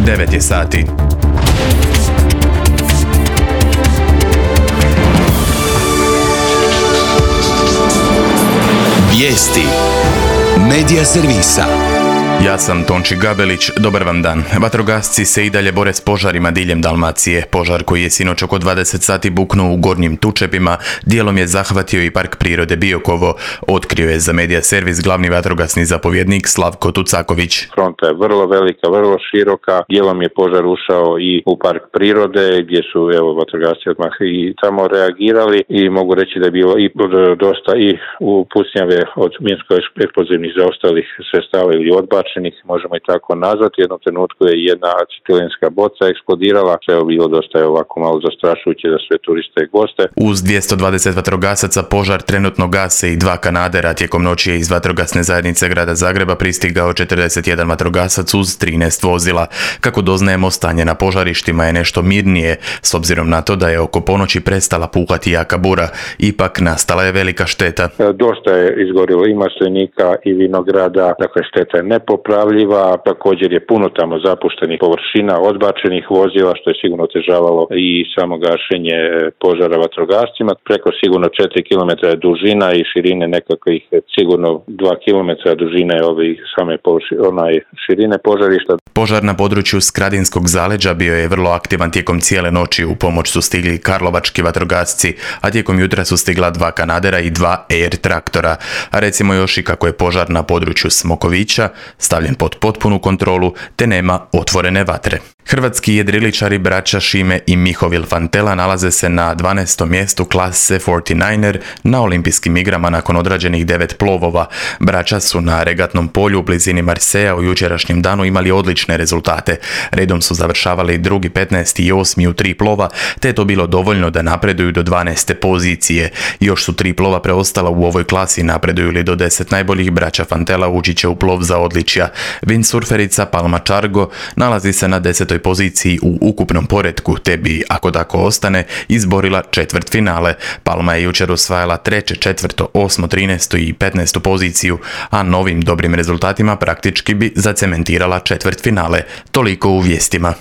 9 je sati. Vijesti Medija servisa. Ja sam Tonči Gabelić, dobar vam dan. Vatrogasci se i dalje bore s požarima diljem Dalmacije. Požar koji je sinoć oko 20 sati buknuo u Gornjim Tučepima, dijelom je zahvatio i Park prirode Biokovo, otkrio je za Medija servis glavni vatrogasni zapovjednik Slavko Tucaković. Fronta je vrlo velika, vrlo široka, dijelom je požar ušao i u Park prirode gdje su vatrogasci odmah i tamo reagirali i mogu reći da je bilo i dosta i u pucnjave od minsko-eksplozivnih zaostalih sredstava ili odbačenih, možemo i tako nazvati. U jednom trenutku je jedna acetilenska boca eksplodirala, sve je bilo dosta ovako malo zastrašujuće za sve turiste i goste. Uz 220 vatrogasaca požar trenutno gase i 2 kanadera. Tijekom noći je iz vatrogasne zajednice grada Zagreba pristigao 41 vatrogasac uz 13 vozila. Kako doznajemo, stanje na požarištima je nešto mirnije, s obzirom na to da je oko ponoći prestala puhati jaka bura. Ipak nastala je velika šteta. Dosta je izgorilo i maslinika i vinograda, dakle šteta je nepopravljiva, također je puno tamo zapuštenih površina, odbačenih vozila, što je sigurno otežavalo i samo gašenje požara vatrogascima. Preko sigurno 4 km je dužina i širine nekakvih sigurno 2 km dužine širine požarišta. Požar na području Skradinskog zaleđa bio je vrlo aktivan tijekom cijele noći. U pomoć su stigli karlovački vatrogasci, a tijekom jutra su stigla 2 kanadera i 2 air traktora. A recimo još i kako je požar na području Smokovića stavljen pod potpunu kontrolu, te nema otvorene vatre. Hrvatski jedriličari braća Šime i Mihovil Fantela nalaze se na 12. mjestu klase 49er na olimpijskim igrama nakon odrađenih 9 plovova. Braća su na regatnom polju u blizini Marseja u jučerašnjem danu imali odlične rezultate. Redom su završavali 2., 15. i 8. u 3 plova, te je to bilo dovoljno da napreduju do 12. pozicije. Još su 3 plova preostala u ovoj klasi, napreduju li do 10 najboljih, braća Fantela ući će u plov za odličja. Windsurferica Palma Čargo nalazi se na 10. poziciji u ukupnom poretku, te bi, ako tako ostane, izborila četvrtfinale. Palma je jučer osvajala 3., 4., 8., 13. i 15. poziciju, a novim dobrim rezultatima praktički bi zacementirala četvrtfinale. Toliko u vijestima.